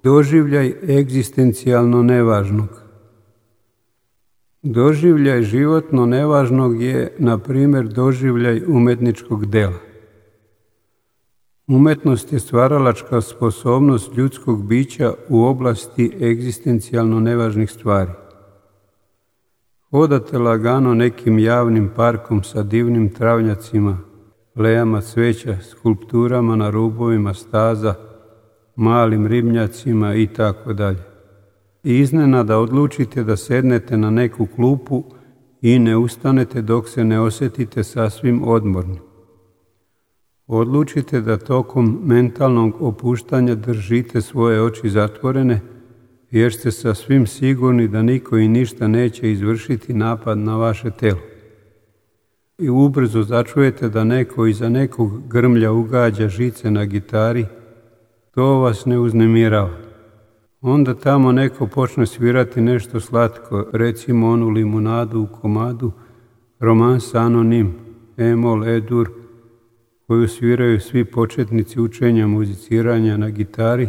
Doživljaj egzistencijalno nevažnog. Doživljaj životno nevažnog je, na primjer, doživljaj umetničkog dela. Umetnost je stvaralačka sposobnost ljudskog bića u oblasti egzistencijalno nevažnih stvari. Hodate lagano nekim javnim parkom sa divnim travnjacima, lejama cveća, skulpturama na rubovima staza, malim ribnjacima itd. I iznenada odlučite da sednete na neku klupu i ne ustanete dok se ne osjetite sasvim odmorni. Odlučite da tokom mentalnog opuštanja držite svoje oči zatvorene, jer ste sasvim sigurni da niko i ništa neće izvršiti napad na vaše telo. I ubrzo začujete da neko iza nekog grmlja ugađa žice na gitari, to vas ne uznemirava. Onda tamo neko počne svirati nešto slatko, recimo onu limunadu u komadu, romansa anonim, emol, edur, koju sviraju svi početnici učenja muziciranja na gitari,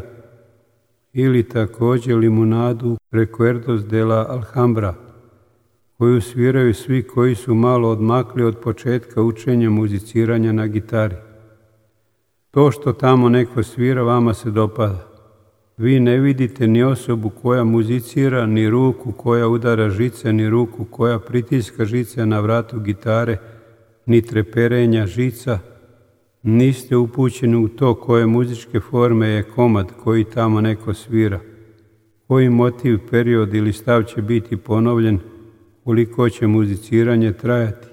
ili također limunadu Recuerdos de la Alhambra, koju sviraju svi koji su malo odmakli od početka učenja muziciranja na gitari. To što tamo neko svira vama se dopada. Vi ne vidite ni osobu koja muzicira, ni ruku koja udara žice, ni ruku koja pritiska žice na vratu gitare, ni treperenja žica. Niste upućeni u to koje muzičke forme je komad koji tamo neko svira, koji motiv, period ili stav će biti ponovljen, koliko će muziciranje trajati.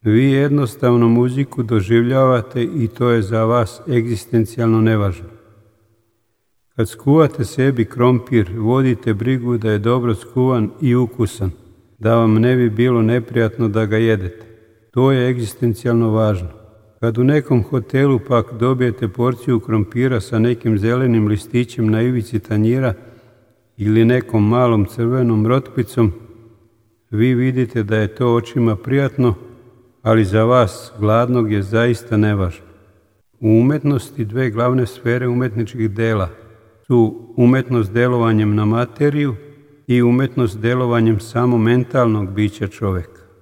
Vi jednostavno muziku doživljavate i to je za vas egzistencijalno nevažno. Kad skuvate sebi krompir, vodite brigu da je dobro skuvan i ukusan, da vam ne bi bilo neprijatno da ga jedete. To je egzistencijalno važno. Kad u nekom hotelu pak dobijete porciju krompira sa nekim zelenim listićem na ivici tanjira ili nekom malom crvenom rotkvicom, vi vidite da je to očima prijatno, ali za vas, gladnog, je zaista nevažno. U umetnosti dve glavne sfere umetničkih dela su umetnost delovanjem na materiju i umetnost delovanjem samo mentalnog bića čovjeka.